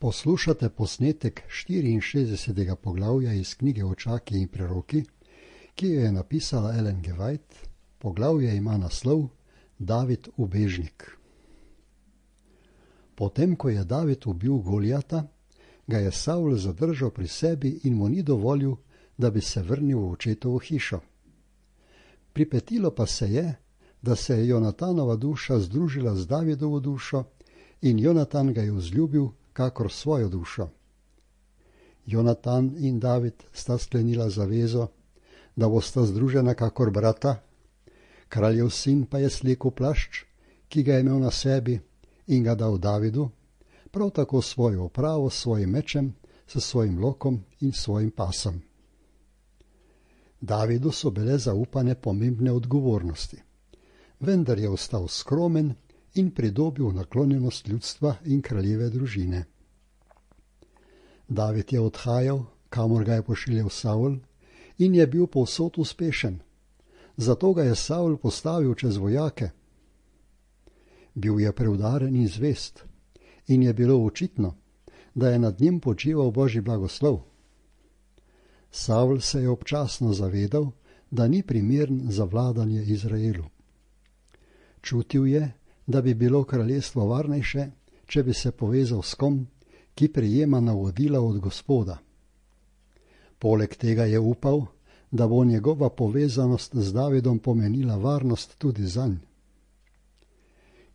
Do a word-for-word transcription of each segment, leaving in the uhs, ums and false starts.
Poslušate posnetek štiriinšestdesetega poglavja iz knjige Očaki in preroki, ki jo je napisala Ellen G. White. Poglavje ima naslov David ubežnik. Potem, ko je David ubil Golijata, ga je Savl zadržal pri sebi in mu ni dovolil, da bi se vrnil v očetovo hišo. Pripetilo pa se je, da se je Jonatanova duša združila z Davidovo dušo in Jonatan ga je vzljubil kakor svojo dušo. Jonatan in David sta sklenila zavezo, da bosta združena kakor brata. Kraljev sin pa je slekel plašč, ki ga je imel na sebi, in ga dal Davidu, prav tako svojo opravo s svojim mečem, s svojim lokom in svojim pasom. Davidu so bile zaupane pomembne odgovornosti, vendar je ostal skromen in pridobil naklonjenost ljudstva in kraljeve družine. David je odhajal, kamor ga je pošiljal Savl, in je bil povsod uspešen, zato ga je Savl postavil čez vojake. Bil je preudaren in zvest, in je bilo očitno, da je nad njim počival Božji blagoslov. Savl se je občasno zavedal, da ni primeren za vladanje Izraelu. Čutil je, da bi bilo kraljestvo varnejše, če bi se povezal s kom, ki prejema navodila od Gospoda. Poleg tega je upal, da bo njegova povezanost z Davidom pomenila varnost tudi zanj.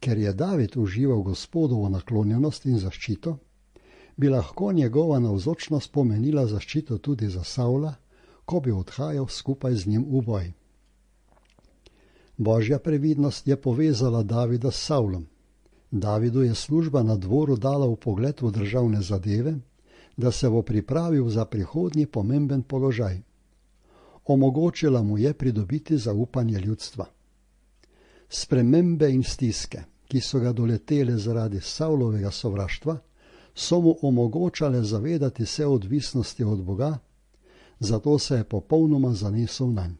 Ker je David užival Gospodovo naklonjenost in zaščito, bi lahko njegova navzočnost pomenila zaščito tudi za Savla, ko bi odhajal skupaj z njim v boj. Božja previdnost je povezala Davida s Savlom. Davidu je služba na dvoru dala vpogled v državne zadeve, da se bo pripravil za prihodnji pomemben položaj. Omogočila mu je pridobiti zaupanje ljudstva. Spremembe in stiske, ki so ga doletele zaradi Savlovega sovraštva, so mu omogočale zavedati se odvisnosti od Boga, zato se je popolnoma zanesel nanj.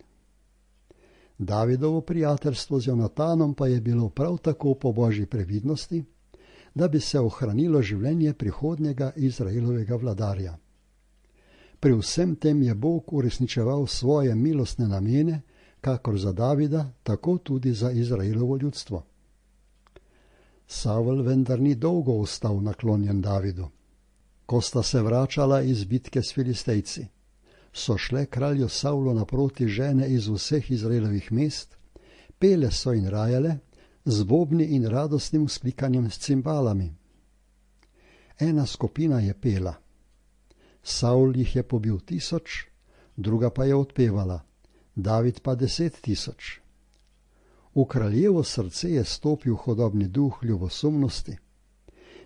Davidovo prijateljstvo z Jonatanom pa je bilo prav tako po Božji previdnosti, da bi se ohranilo življenje prihodnjega Izraelovega vladarja. Pri vsem tem je Bog uresničeval svoje milostne namene, kakor za Davida, tako tudi za Izraelovo ljudstvo. Savl vendar ni dolgo ostal naklonjen Davidu. Ko sta se vračala iz bitke s Filistejci, so šle kralju Savlu naproti žene iz vseh Izraelovih mest, pele so in rajale, z bobni in radostnim vzklikanjem s cimbalami. Ena skupina je pela. Savl jih je pobil tisoč, druga pa je odpevala, David pa deset tisoč. V kraljevo srce je stopil hodobni duh ljubosumnosti.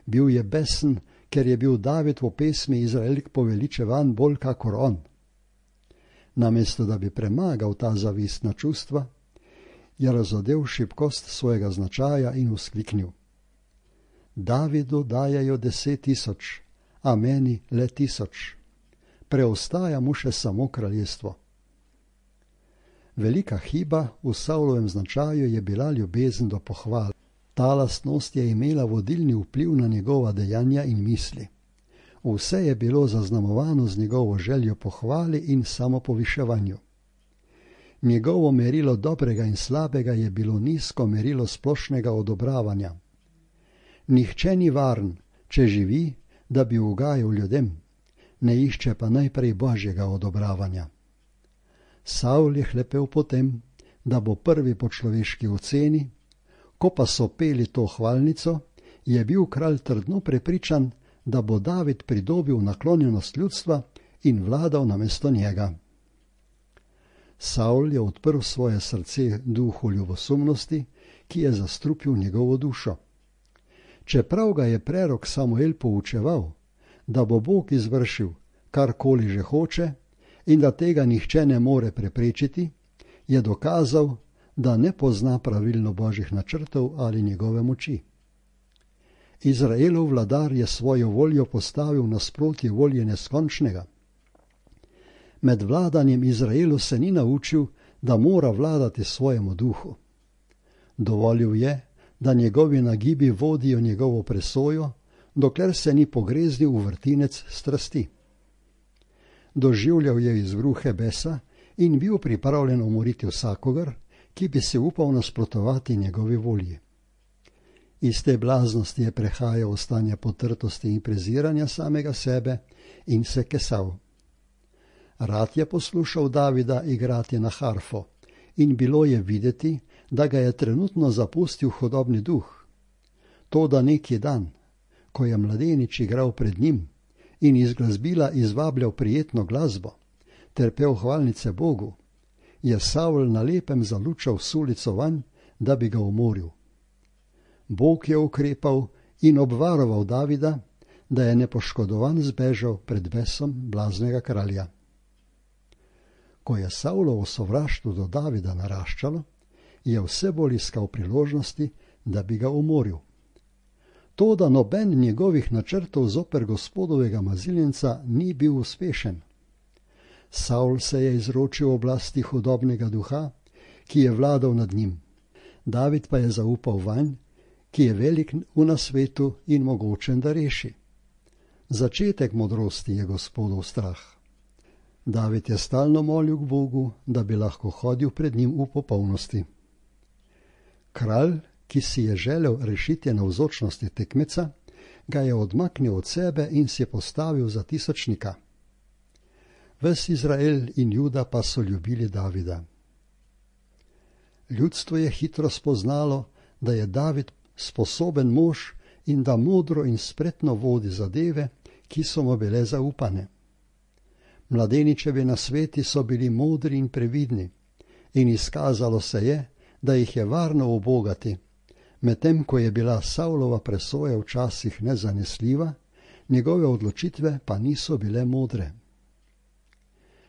Bil je besen, ker je bil David v pesmi Izraelk poveličevan bolj kakor on. Namesto da bi premagal ta zavistna čustva, je razodel šibkost svojega značaja in vzkliknil: Davidu dajajo deset tisoč, a meni le tisoč. Preostaja mu še samo kraljestvo. Velika hiba v Savlovem značaju je bila ljubezen do pohval. Ta lastnost je imela vodilni vpliv na njegova dejanja in misli. Vse je bilo zaznamovano z njegovo željo pohvali in samopoviševanju. Njegovo merilo dobrega in slabega je bilo nizko merilo splošnega odobravanja. Nihče ni varen, če živi, da bi ugajal ljudem, ne išče pa najprej Božjega odobravanja. Savl je hlepel potem, da bo prvi po človeški oceni, ko pa so peli to hvalnico, je bil kralj trdno prepričan, da bo David pridobil naklonjenost ljudstva in vladal namesto njega. Savl je odprl svoje srce duhu ljubosumnosti, ki je zastrupil njegovo dušo. Čeprav ga je prerok Samuel poučeval, da bo Bog izvršil karkoli že hoče in da tega nihče ne more preprečiti, je dokazal, da ne pozna pravilno Božjih načrtov ali njegove moči. Izraelov vladar je svojo voljo postavil nasprotje volje neskončnega. Med vladanjem Izraelu se ni naučil, da mora vladati svojemu duhu. Dovolil je, da njegovi nagibi vodijo njegovo presojo, dokler se ni pogreznil v vrtinec strasti. Doživljal je izbruhe besa in bil pripravljen umoriti vsakogar, ki bi se upal nasprotovati njegovi volji. Iz te blaznosti je prehajal v stanje potrtosti in preziranja samega sebe in se kesal. Rad je poslušal Davida igrati na harfo in bilo je videti, da ga je trenutno zapustil hudobni duh. Toda neki dan, ko je mladenič igral pred njim in iz glasbila izvabljal prijetno glasbo ter pel hvalnice Bogu, je Savl na lepem zalučal sulico vanj, da bi ga umoril. Bog je ukrepal in obvaroval Davida, da je nepoškodovan zbežal pred besom blaznega kralja. Ko je Savlovo sovraštvo do Davida naraščalo, je vse bolj iskal priložnosti, da bi ga umoril. Toda noben njegovih načrtov zoper gospodovega maziljenca ni bil uspešen. Savl se je izročil oblasti hudobnega duha, ki je vladal nad njim. David pa je zaupal vanj, ki je velik v nasvetu in mogočen, da reši. Začetek modrosti je Gospodov strah. David je stalno molil k Bogu, da bi lahko hodil pred njim v popolnosti. Kralj, ki si je želel rešiti navzočnosti tekmeca, ga je odmaknil od sebe in si postavil za tisočnika. Ves Izrael in Juda pa so ljubili Davida. Ljudstvo je hitro spoznalo, da je David sposoben mož in da modro in spretno vodi zadeve, ki so mu bile zaupane. Mladeničevi nasveti so bili modri in previdni in izkazalo se je, da jih je varno ubogati, medtem ko je bila Savlova presoja včasih nezanesljiva, njegove odločitve pa niso bile modre.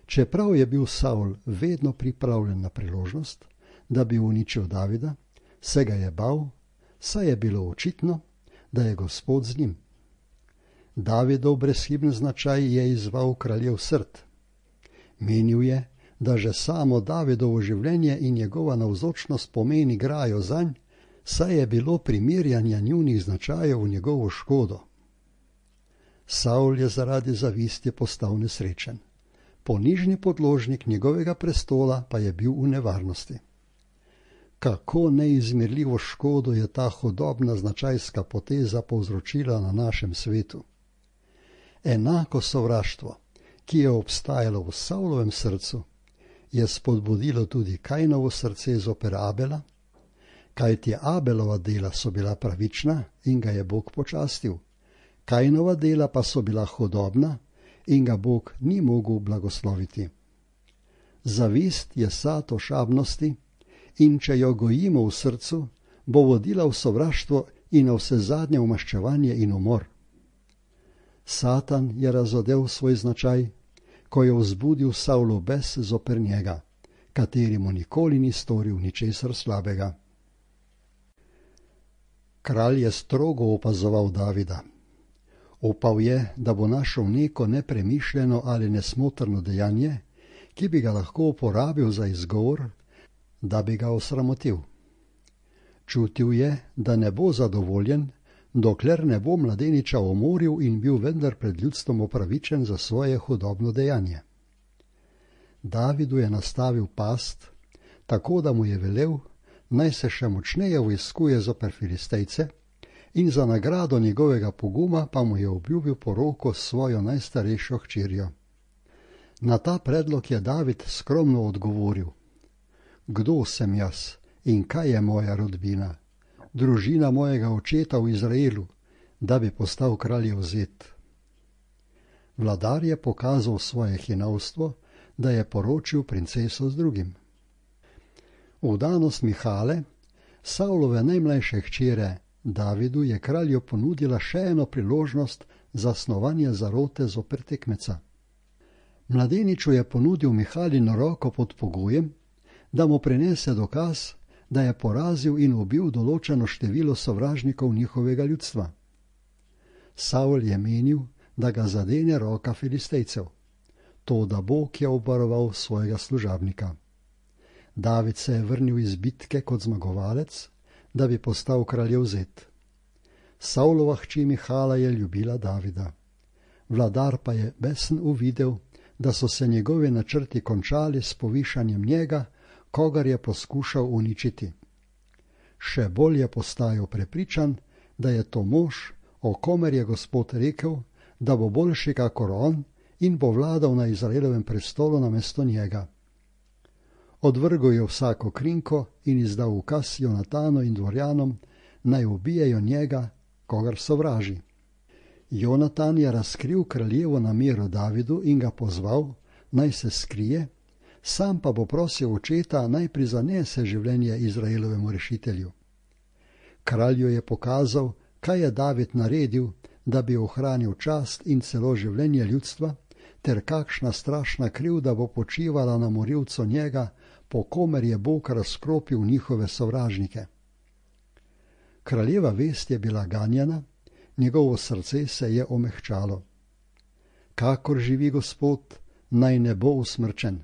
Čeprav je bil Savl vedno pripravljen na priložnost, da bi uničil Davida, se ga je bal, saj je bilo očitno, da je Gospod z njim. Davidov brezhiben značaj je izzval kraljev srd. Menil je, da že samo Davidovo življenje in njegova navzočnost pomeni grajo zanj, saj je bilo primerjanja njunih značajev v njegovo škodo. Savl je zaradi zavisti postal nesrečen. Ponižni podložnik njegovega prestola pa je bil v nevarnosti. Kako neizmerljivo škodo je ta hudobna značajska poteza povzročila na našem svetu. Enako sovraštvo, ki je obstajalo v Savlovem srcu, je spodbudilo tudi Kainovo srce zoper Abela, kajti Abelova dela so bila pravična in ga je Bog počastil, Kainova dela pa so bila hudobna in ga Bog ni mogel blagosloviti. Zavist je sad ošabnosti in če jo gojimo v srcu, bo vodila v sovraštvo in na vsezadnje v maščevanje in umor. Satan je razodel svoj značaj, ko je vzbudil Savlov bes zoper njega, kateri mu nikoli ni storil ničesar slabega. Kralj je strogo opazoval Davida. Upal je, da bo našel neko nepremišljeno ali nesmotrno dejanje, ki bi ga lahko uporabil za izgovor, da bi ga osramotil. Čutil je, da ne bo zadovoljen, dokler ne bo mladeniča umoril in bil vendar pred ljudstvom opravičen za svoje hudobno dejanje. Davidu je nastavil past, tako da mu je velel, naj se še močneje vojskuje zoper Filistejce, in za nagrado njegovega poguma pa mu je obljubil poroko s svojo najstarejšo hčerjo. Na ta predlog je David skromno odgovoril: Kdo sem jaz in kaj je moja rodbina, družina mojega očeta v Izraelu, da bi postal kraljev zet? Vladar je pokazal svoje hinavstvo, da je poročil princeso z drugim. Vdanost Mihale, Savlove najmlajše hčere, Davidu je kralju ponudila še eno priložnost za snovanje zarote zoper tekmeca. Mladeniču je ponudil Mihalino roko pod pogojem, da mu prinese dokaz, da je porazil in ubil določeno število sovražnikov njihovega ljudstva. Savl je menil, da ga zadene roka Filistejcev, toda Bog je obvaroval svojega služabnika. David se je vrnil iz bitke kot zmagovalec, da bi postal kraljev zet. Savlova hči Mihala je ljubila Davida. Vladar pa je besen uvidel, da so se njegovi načrti končali s povišanjem njega, kogar je poskušal uničiti. Še bolj je postajal prepričan, da je to mož, o komer je Gospod rekel, da bo boljši kakor on in bo vladal na Izraelovem prestolu namesto njega. Odvrgel je vsako krinko in izdal ukaz Jonatanu in dvorjanom, naj ubijejo njega, kogar sovraži. Jonatan je razkril kraljevo namero Davidu in ga pozval, naj se skrije, sam pa bo prosil očeta, naj prizanese življenje Izraelovemu rešitelju. Kralju je pokazal, kaj je David naredil, da bi ohranil čast in celo življenje ljudstva, ter kakšna strašna krivda bo počivala na morilcu njega, po komer je Bog razkropil njihove sovražnike. Kraljeva vest je bila ganjena, njegovo srce se je omehčalo. Kakor živi Gospod, naj ne bo usmrčen.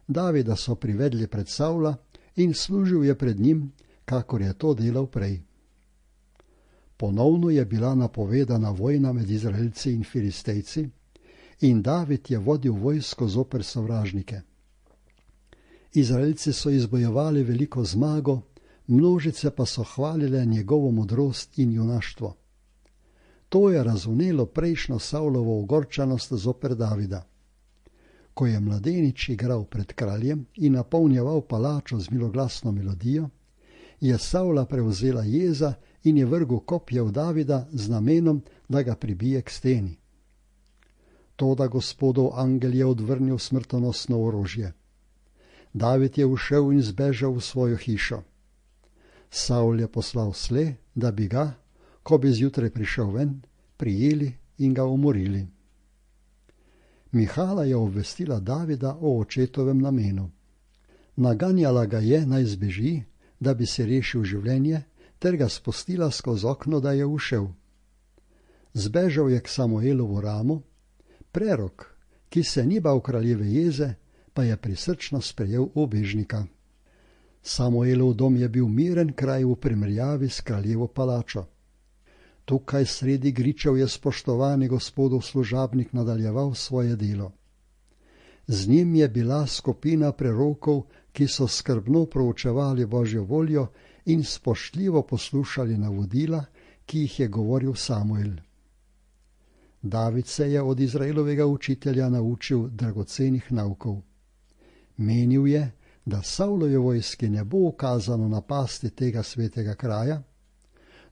Davida so privedli pred Savla in služil je pred njim, kakor je to delal prej. Ponovno je bila napovedana vojna med Izraelci in Filistejci in David je vodil vojsko zoper sovražnike. Izraelci so izbojevali veliko zmago, množice pa so hvalile njegovo modrost in junaštvo. To je razvnelo prejšnjo Savlovo ogorčenost zoper Davida. Ko je mladenič igral pred kraljem in napolnjeval palačo z miloglasno melodijo, je Savla prevzela jeza in je vrgel kopje v Davida z namenom, da ga pribije k steni. Toda Gospodov angel je odvrnil smrtonosno orožje. David je ušel in zbežal v svojo hišo. Savl je poslal sle, da bi ga, ko bi zjutraj prišel ven, prijeli in ga umorili. Mihala je obvestila Davida o očetovem namenu. Naganjala ga je, naj zbeži, da bi si rešil življenje, ter ga spustila skozi okno, da je ušel. Zbežal je k Samuelovu ramu, prerok, ki se ni bal kraljeve jeze, pa je prisrčno sprejel ubežnika. Samuelov dom je bil miren kraj v primerjavi s kraljevo palačo. Tukaj sredi gričev je spoštovani Gospodov služabnik nadaljeval svoje delo. Z njim je bila skupina prerokov, ki so skrbno proučevali Božjo voljo in spoštljivo poslušali navodila, ki jih je govoril Samuel. David se je od Izraelovega učitelja naučil dragocenih naukov. Menil je, da Savlove vojski ne bo ukazano napasti tega svetega kraja,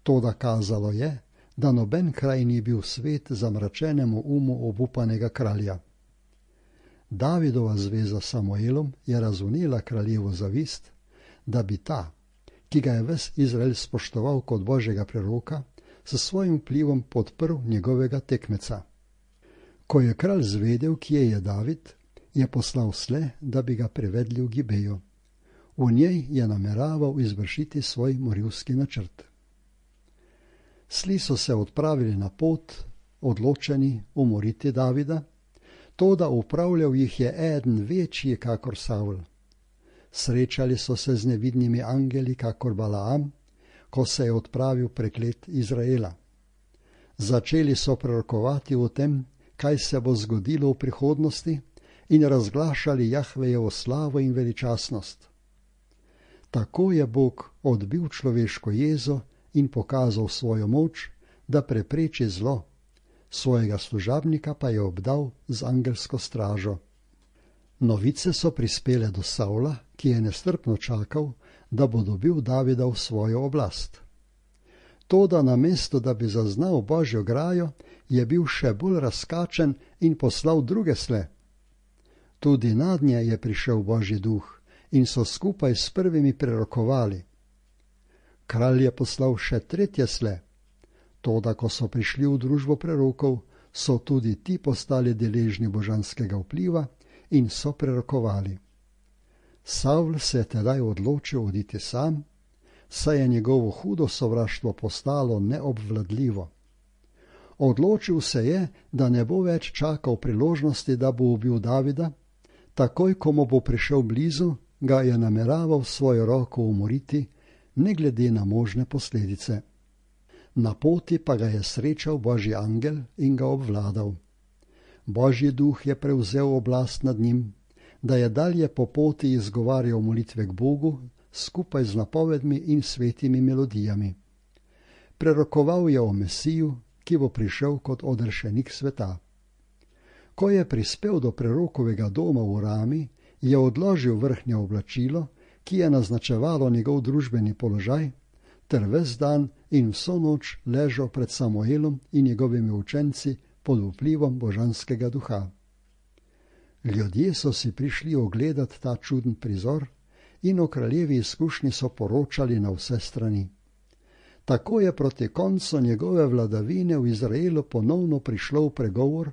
toda kazalo je, da noben kraj ni bil svet zamračenemu umu obupanega kralja. Davidova zveza s Samuelom je razvnela kraljevo zavist, da bi ta, ki ga je ves Izrael spoštoval kot Božjega preroka, s svojim vplivom podprl njegovega tekmeca. Ko je kralj zvedel, kje je David, je poslal sle, da bi ga privedli v Gibejo. V njej je nameraval izvršiti svoj morilski načrt. Sli so se odpravili na pot, odločeni umoriti Davida, toda upravljal jih je eden večji kakor Savl. Srečali so se z nevidnimi angeli kakor Balaam, ko se je odpravil preklet Izraela. Začeli so prorokovati o tem, kaj se bo zgodilo v prihodnosti, in razglašali Jahvejevo slavo in veličastnost. Tako je Bog odbil človeško jezo in pokazal svojo moč, da prepreči zlo, svojega služabnika pa je obdal z angelsko stražo. Novice so prispele do Savla, ki je nestrpno čakal, da bo dobil Davida v svojo oblast. Toda namesto, da bi zaznal Božjo grajo, je bil še bolj razkačen in poslal druge sle. Tudi nadnje je prišel Božji duh in so skupaj s prvimi prerokovali. Kralj je poslal še tretje sle. Toda, ko so prišli v družbo prerokov, so tudi ti postali deležni božanskega vpliva in so prerokovali. Savl se je tedaj odločil oditi sam, saj je njegovo hudo sovraštvo postalo neobvladljivo. Odločil se je, da ne bo več čakal priložnosti, da bo ubil Davida, takoj, ko mu bo prišel blizu, ga je nameraval svojo roko umoriti, ne glede na možne posledice. Na poti pa ga je srečal Božji angel in ga obvladal. Božji duh je prevzel oblast nad njim, da je dalje po poti izgovarjal molitve k Bogu skupaj z napovedmi in svetimi melodijami. Prerokoval je o Mesiju, ki bo prišel kot odrešenik sveta. Ko je prispel do prerokovega doma v Rami, je odložil vrhnje oblačilo, ki je naznačevalo njegov družbeni položaj, ter ves dan in vso noč ležal pred Samuelom in njegovimi učenci pod vplivom božanskega duha. Ljudje so si prišli ogledati ta čuden prizor in o kraljevi izkušnji so poročali na vse strani. Tako je proti koncu njegove vladavine v Izraelu ponovno prišlo v pregovor,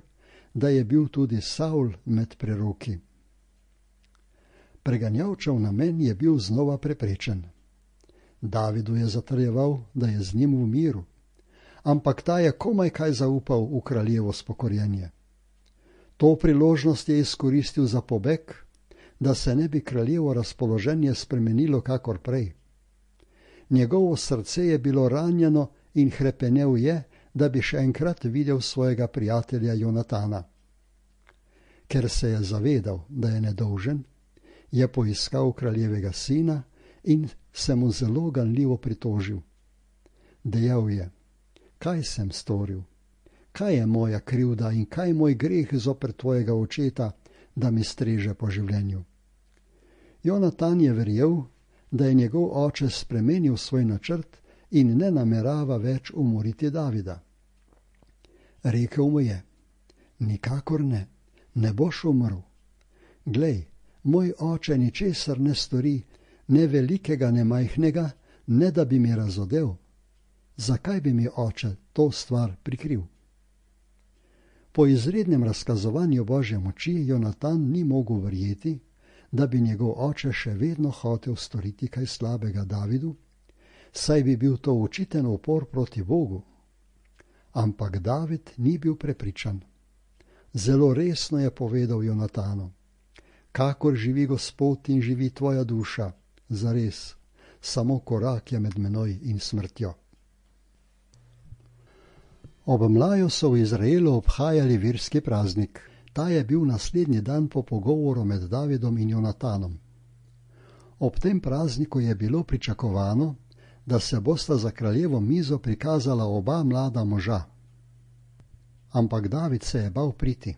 da je bil tudi Saul med preroki. Preganjavčev namen je bil znova preprečen. Davidu je zatrjeval, da je z njim v miru, ampak ta je komaj kaj zaupal v kraljevo spokorjenje. To priložnost je izkoristil za pobeg, da se ne bi kraljevo razpoloženje spremenilo kakor prej. Njegovo srce je bilo ranjeno in hrepenel je, da bi še enkrat videl svojega prijatelja Jonatana. Ker se je zavedal, da je nedolžen, je poiskal kraljevega sina in se mu zelo ganljivo pritožil. Dejal je: kaj sem storil? Kaj je moja krivda in kaj moj greh zoper tvojega očeta, da mi streže po življenju? Jonatan je verjel, da je njegov oče spremenil svoj načrt in ne namerava več umoriti Davida. Rekel mu je: nikakor ne, ne boš umrl. Glej, moj oče ničesar ne stori, ne velikega, ne majhnega, ne da bi mi razodel. Zakaj bi mi oče to stvar prikril? Po izrednem razkazovanju Božje moči Jonatan ni mogel verjeti, da bi njegov oče še vedno hotel storiti kaj slabega Davidu, saj bi bil to očiten upor proti Bogu. Ampak David ni bil prepričan. Zelo resno je povedal Jonatanu: kakor živi Gospod in živi tvoja duša, zares, samo korak je med menoj in smrtjo. Ob mlaju so v Izraelu obhajali verski praznik. Ta je bil naslednji dan po pogovoru med Davidom in Jonatanom. Ob tem prazniku je bilo pričakovano, da se bosta za kraljevo mizo prikazala oba mlada moža. Ampak David se je bal priti.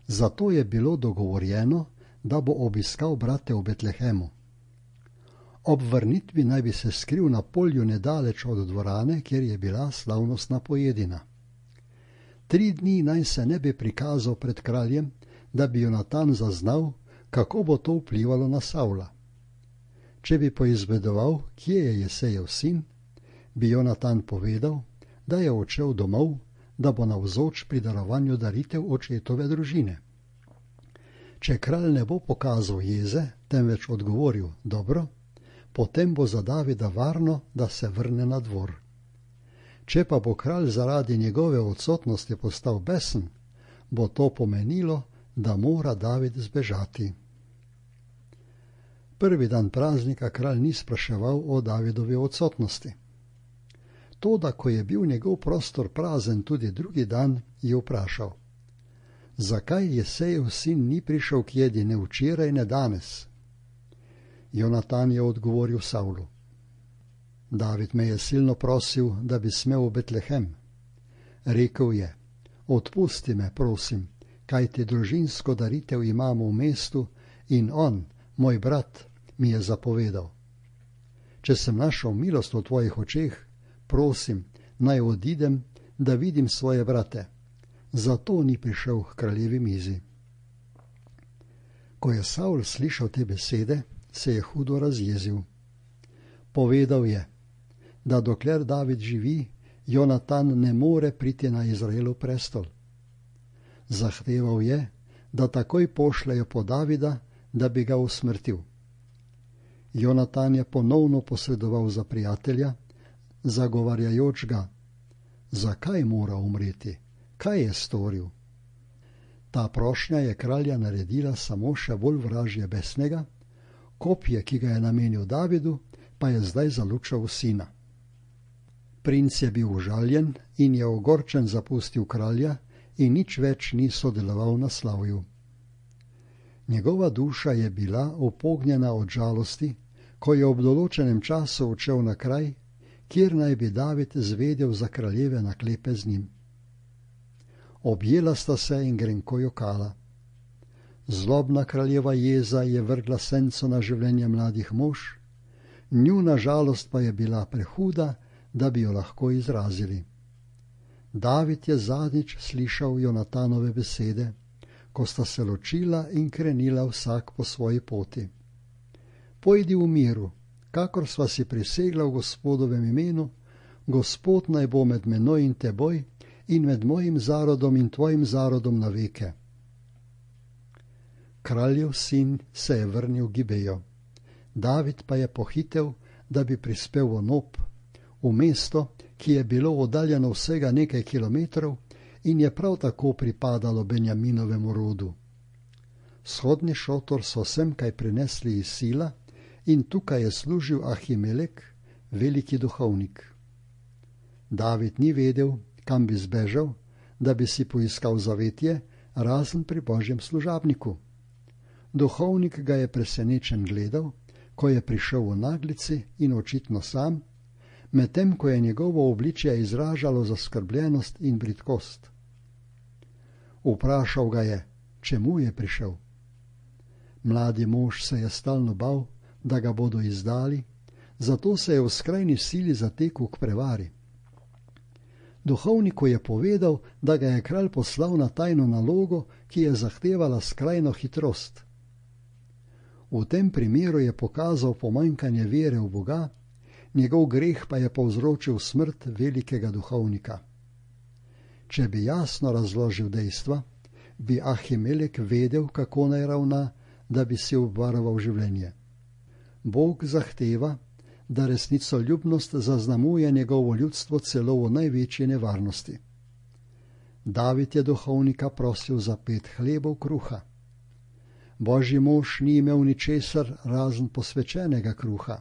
Zato je bilo dogovorjeno, da bo obiskal brate v Betlehemu. Ob vrnitvi naj bi se skril na polju nedaleč od dvorane, kjer je bila slavnostna pojedina. Tri dni naj se ne bi prikazal pred kraljem, da bi Jonatan zaznal, kako bo to vplivalo na Savla. Če bi poizvedoval, kje je Jesejev sin, bi Jonatan povedal, da je odšel domov, da bo navzoč pri darovanju daritev očetove družine. Če kralj ne bo pokazal jeze, temveč odgovoril dobro, potem bo za Davida varno, da se vrne na dvor. Če pa bo kralj zaradi njegove odsotnosti postal besen, bo to pomenilo, da mora David zbežati. Prvi dan praznika kralj ni spraševal o Davidovi odsotnosti. Toda, ko je bil njegov prostor prazen tudi drugi dan, je vprašal: zakaj Jesejev sin ni prišel k jedi ne včeraj, ne danes? Jonatan je odgovoril Savlu: David me je silno prosil, da bi smel v Betlehem. Rekel je: odpusti me, prosim, kajti družinsko daritev imamo v mestu in on, moj brat, mi je zapovedal. Če sem našel milost v tvojih očeh, prosim, naj odidem, da vidim svoje brate. Zato ni prišel k kraljevi mizi. Ko je Savl slišal te besede, se je hudo razjezil. Povedal je, da dokler David živi, Jonatan ne more priti na Izraelov prestol. Zahteval je, da takoj pošljejo po Davida, da bi ga usmrtil. Jonatan je ponovno posredoval za prijatelja, zagovarjajoč ga: zakaj mora umreti? Kaj je storil? Ta prošnja je kralja naredila samo še bolj vražje besnega, kopje, ki ga je namenil Davidu, pa je zdaj zalučal sina. Princ je bil užaljen in je ogorčen zapustil kralja in nič več ni sodeloval na slavju. Njegova duša je bila upognjena od žalosti, ko je ob določenem času odšel na kraj, kjer naj bi David zvedel za kraljeve naklepe z njim. Objela sta se in grenko jokala. Zlobna kraljeva jeza je vrgla senco na življenje mladih mož, njuna žalost pa je bila prehuda, da bi jo lahko izrazili. David je zadnjič slišal Jonatanove besede, ko sta se ločila in krenila vsak po svoji poti. Pojdi v miru, kakor sva si prisegla v Gospodovem imenu, Gospod naj bo med menoj in teboj in med mojim zarodom in tvojim zarodom na veke. Kraljev sin se je vrnil v Gibejo. David pa je pohitev, da bi prispel v Nob, v mesto, ki je bilo oddaljeno vsega nekaj kilometrov in je prav tako pripadalo Benjaminovemu rodu. Shodni šotor so sem kaj prinesli iz Sila in tukaj je služil Ahimelek, veliki duhovnik. David ni vedel, kam bi zbežal, da bi si poiskal zavetje, razen pri Božjem služabniku. Duhovnik ga je presenečen gledal, ko je prišel v naglici in očitno sam, medtem ko je njegovo obličje izražalo zaskrbljenost in bridkost. Vprašal ga je, čemu je prišel. Mladi mož se je stalno bal, da ga bodo izdali, zato se je v skrajni sili zatekel k prevari. Duhovniku je povedal, da ga je kralj poslal na tajno nalogo, ki je zahtevala skrajno hitrost. V tem primeru je pokazal pomanjkanje vere v Boga, njegov greh pa je povzročil smrt velikega duhovnika. Če bi jasno razložil dejstva, bi Ahimelek vedel, kako naj ravna, da bi si obvaroval življenje. Bog zahteva, da resnicoljubnost zaznamuje njegovo ljudstvo celo v največji nevarnosti. David je duhovnika prosil za pet hlebov kruha. Božji mož ni imel ničesar razen posvečenega kruha.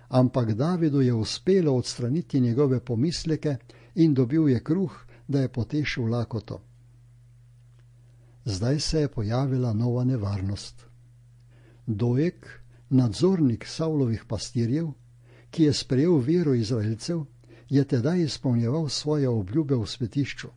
Ampak Davidu je uspelo odstraniti njegove pomisleke in dobil je kruh, da je potešil lakoto. Zdaj se je pojavila nova nevarnost. Dojek, nadzornik Savlovih pastirjev, ki je sprejel vero Izraelcev, je tedaj izpolnjeval svoje obljube v svetišču.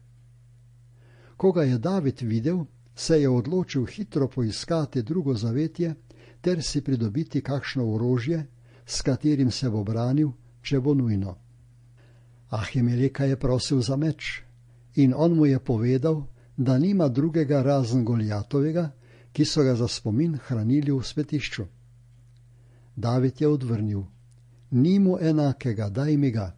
Ko ga je David videl, se je odločil hitro poiskati drugo zavetje ter si pridobiti kakšno orožje, s katerim se bo branil, če bo nujno. Ahimeleka je prosil za meč in on mu je povedal, da nima drugega razen Goljatovega, ki so ga za spomin hranili v svetišču. David je odvrnil, ni mu enakega, daj mi ga.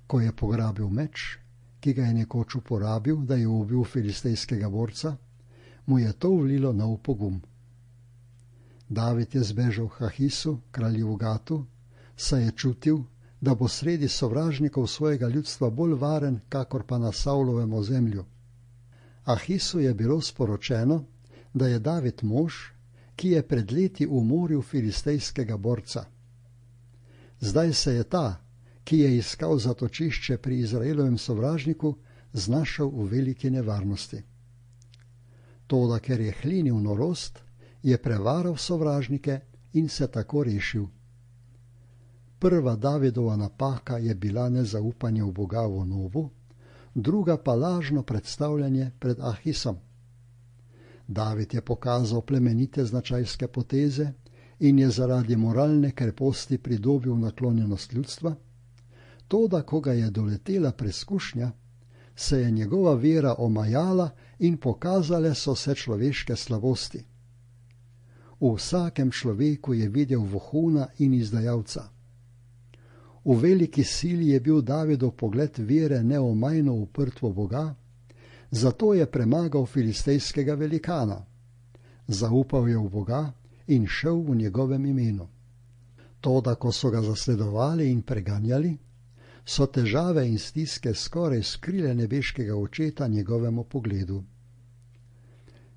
Ko je pograbil meč, ki ga je nekoč uporabil, da je ubil filistejskega borca, mu je to vlilo nov pogum. David je zbežal k Ahisu, kralju v Gatu, saj je čutil, da bo sredi sovražnikov svojega ljudstva bolj varen, kakor pa na Savlovem ozemlju. Ahisu je bilo sporočeno, da je David mož, ki je pred leti umoril filistejskega borca. Zdaj se je ta, ki je iskal zatočišče pri Izraelovem sovražniku, znašel v veliki nevarnosti. Toda ker je hlinil norost, je prevaral sovražnike in se tako rešil. Prva Davidova napaka je bila nezaupanje v Boga v Nobu, druga pa lažno predstavljanje pred Ahisom. David je pokazal plemenite značajske poteze in je zaradi moralne kreposti pridobil naklonjenost ljudstva, toda ko ga je doletela preskušnja, se je njegova vera omajala in pokazale so se človeške slabosti. V vsakem človeku je videl vohuna in izdajalca. V veliki sili je bil Davidov pogled vere neomajno uprt v Boga, zato je premagal filistejskega velikana. Zaupal je v Boga in šel v njegovem imenu. Toda, ko so ga zasledovali in preganjali, so težave in stiske skoraj skrile nebeškega očeta njegovemu pogledu.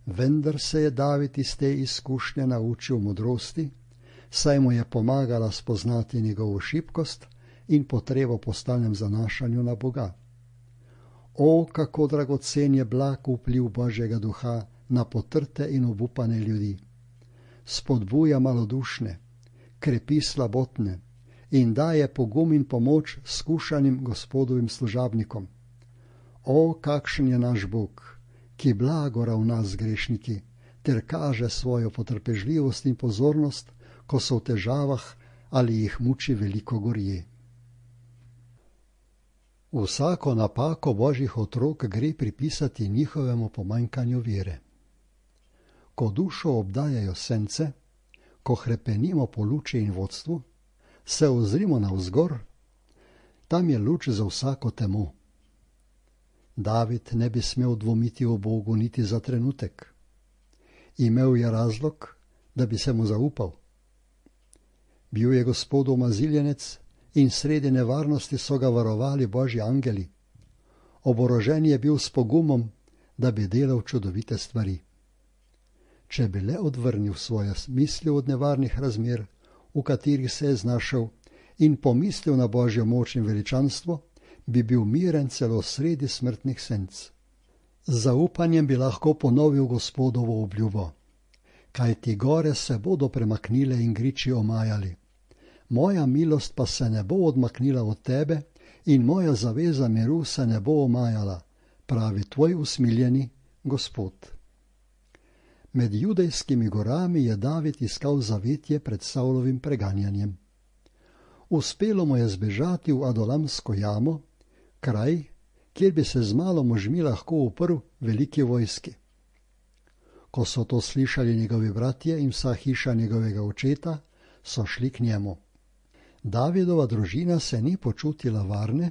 Vendar se je David iz te izkušnje naučil modrosti, saj mu je pomagala spoznati njegovo šibkost in potrebo po stalnem zanašanju na Boga. O, kako dragocen je blag vpliv Božjega duha na potrte in obupane ljudi. Spodbuja malodušne, krepi slabotne in daje pogum in pomoč skušanim Gospodovim služabnikom. O, kakšen je naš Bog, ki blago ravna z grešniki, ter kaže svojo potrpežljivost in pozornost, ko so v težavah ali jih muči veliko gorje. Vsako napako Božjih otrok gre pripisati njihovemu pomanjkanju vere. Ko dušo obdajajo sence, ko hrepenimo po luči in vodstvu, se ozrimo navzgor, tam je luč za vsako temo. David ne bi smel dvomiti o Bogu niti za trenutek. Imel je razlog, da bi se mu zaupal. Bil je Gospodov maziljenec in sredi nevarnosti so ga varovali Božji angeli. Oborožen je bil s pogumom, da bi delal čudovite stvari. Če bi le odvrnil svoje misli od nevarnih razmer, v katerih se je znašel, in pomislil na Božjo moč in veličanstvo, bi bil miren celo sredi smrtnih senc. Z zaupanjem bi lahko ponovil Gospodovo obljubo. Kajti gore se bodo premaknile in griči omajali. Moja milost pa se ne bo odmaknila od tebe in moja zaveza miru se ne bo omajala, pravi tvoj usmiljeni Gospod. Med judejskimi gorami je David iskal zavetje pred Savlovim preganjanjem. Uspelo mu je zbežati v Adulamsko jamo, kraj, kjer bi se z malo možmi lahko uprl veliki vojski. Ko so to slišali njegovi bratje in vsa hiša njegovega očeta, so šli k njemu. Davidova družina se ni počutila varne,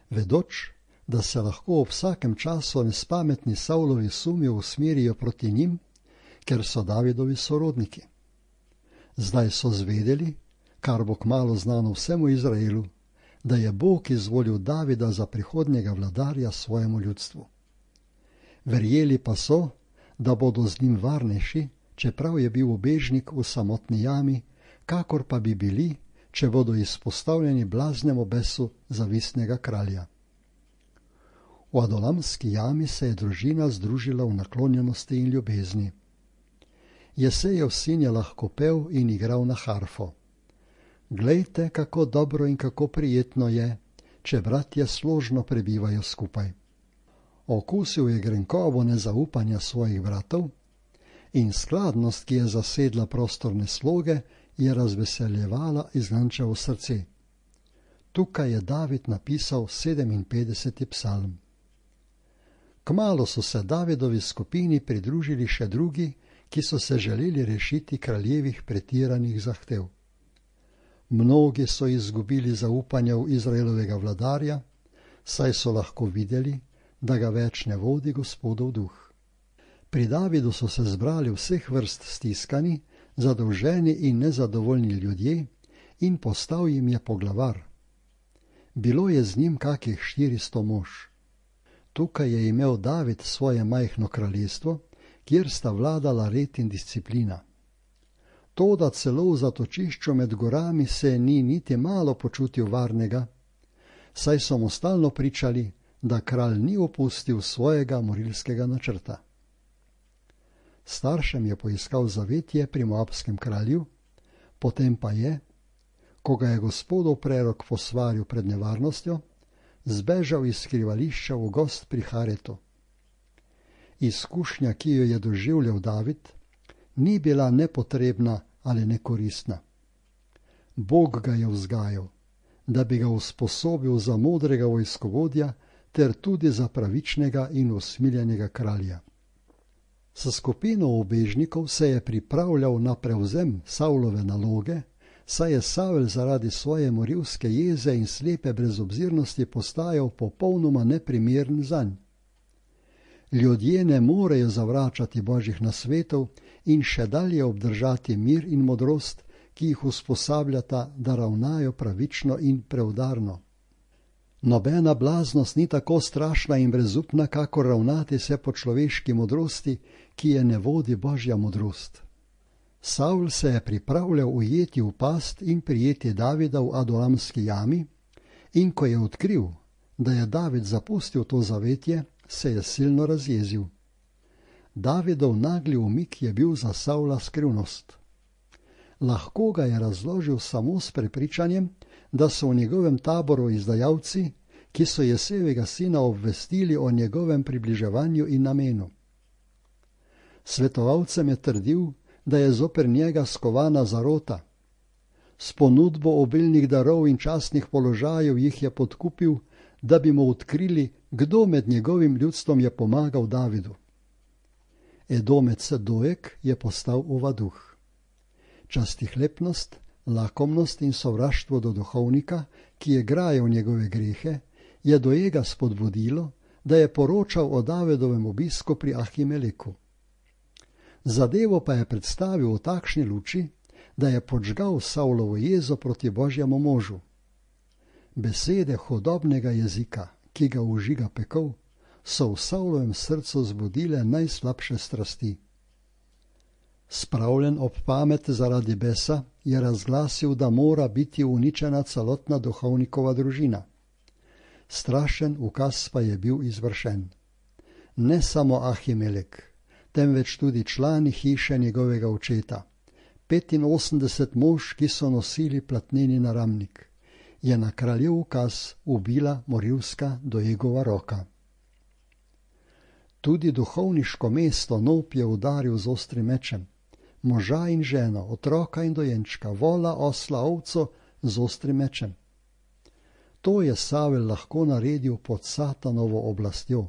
vedoč, da se lahko ob vsakem času nespametni Savlovi sumi usmerijo proti njim, ker so Davidovi sorodniki. Zdaj so zvedeli, kar bo kmalu znano vsemu Izraelu, da je Bog izvolil Davida za prihodnjega vladarja svojemu ljudstvu. Verjeli pa so, da bodo z njim varnejši, čeprav je bil ubežnik v samotni jami, kakor pa bi bili, če bodo izpostavljeni blaznemu besu zavistnega kralja. V Adulamski jami se je družina združila v naklonjenosti in ljubezni. Jesejev sin je lahko pel in igral na harfo. Glejte, kako dobro in kako prijetno je, če bratje složno prebivajo skupaj. Okusil je grenkobo nezaupanja svojih bratov in skladnost, ki je zasedla prostorne sloge, je razveseljevala izgančevo srce. Tukaj je David napisal sedeminpetdeseti psalm. Kmalu so se Davidovi skupini pridružili še drugi, ki so se želeli rešiti kraljevih pretiranih zahtev. Mnogi so izgubili zaupanje v Izraelovega vladarja, saj so lahko videli, da ga več ne vodi Gospodov duh. Pri Davidu so se zbrali vseh vrst stiskani, zadolženi in nezadovoljni ljudje in postal jim je poglavar. Bilo je z njim kakih štiristo mož. Tukaj je imel David svoje majhno kraljestvo, kjer sta vladala red in disciplina. Toda celo v zatočišču med gorami se ni niti malo počutil varnega, saj so mu stalno pričali, da kralj ni opustil svojega morilskega načrta. Staršem je poiskal zavetje pri moabskem kralju, potem pa je, ko ga je Gospodov prerok posvaril pred nevarnostjo, zbežal iz skrivališča v gozd pri Haretu. Izkušnja, ki jo je doživljal David, ni bila nepotrebna ali nekoristna. Bog ga je vzgajal, da bi ga usposobil za modrega vojskovodja ter tudi za pravičnega in usmiljenega kralja. S skupino ubežnikov se je pripravljal na prevzem Savlove naloge, saj je Savel zaradi svoje morilske jeze in slepe brezobzirnosti postajal popolnoma neprimeren zanj. Ljudje ne morejo zavračati Božjih nasvetov in še dalje obdržati mir in modrost, ki jih usposabljata, da ravnajo pravično in preudarno. Nobena blaznost ni tako strašna in brezupna, kakor ravnati se po človeški modrosti, ki je ne vodi Božja modrost. Savl se je pripravljal ujeti v past in prijeti Davida v Adulamski jami, In ko je odkril, da je David zapustil to zavetje, se je silno razjezil. Davidov nagli umik je bil za Savla skrivnost. Lahko ga je razložil samo s prepričanjem, da so v njegovem taboru izdajalci, ki so Jesejevega sina obvestili o njegovem približevanju in namenu. Svetovalcem je trdil, da je zoper njega skovana zarota. S ponudbo obilnih darov in častnih položajev jih je podkupil, da bi mu odkrili, kdo med njegovim ljudstvom je pomagal Davidu. Edomec Dojek je postal ovaduh. Častihlepnost, lakomnost in sovraštvo do duhovnika, ki je grajal njegove grehe, je Dojega spodbudilo, da je poročal o Davidovem obisku pri Ahimeleku. Zadevo pa je predstavil v takšni luči, da je podžgal Savlovo jezo proti Božjemu možu. Besede hudobnega jezika, ki ga užiga pekel, so v Savlovem srcu zbudile najslabše strasti. Spravljen ob pamet zaradi besa, je razglasil, da mora biti uničena celotna duhovnikova družina. Strašen ukaz pa je bil izvršen. Ne samo Ahimelek, temveč tudi člani hiše njegovega očeta, petinosemdeset mož, ki so nosili platneni naramnik, je na kraljev ukaz ubila morilska Dojegova roka. Tudi duhovniško mesto Nob je udaril z ostrim mečem, moža in ženo, otroka in dojenčka, vola, osla, ovco z ostrim mečem. To je Savel lahko naredil pod Satanovo oblastjo.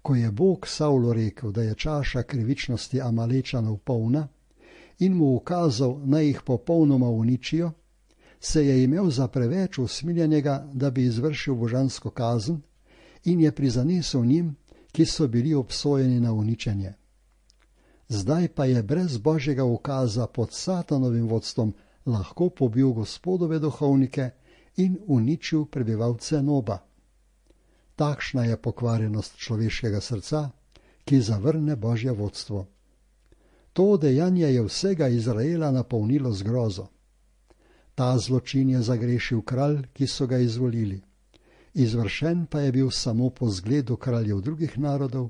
Ko je Bog Savlu rekel, da je čaša krivičnosti Amalečanov polna in mu ukazal, naj jih popolnoma uničijo, se je imel za preveč usmiljenega, da bi izvršil božansko kazen, in je prizanesel njim, ki so bili obsojeni na uničenje. Zdaj pa je brez Božjega ukaza pod Satanovim vodstvom lahko pobil Gospodove duhovnike in uničil prebivalce Noba. Takšna je pokvarjenost človeškega srca, ki zavrne Božje vodstvo. To dejanje je vsega Izraela napolnilo z grozo. Ta zločin je zagrešil kralj, ki so ga izvolili. Izvršen pa je bil samo po zgledu kraljev drugih narodov,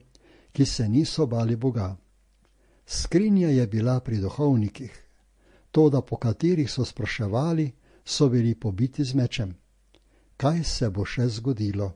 ki se niso bali Boga. Skrinja je bila pri duhovnikih, toda po katerih so spraševali, so bili pobiti z mečem. Kaj se bo še zgodilo?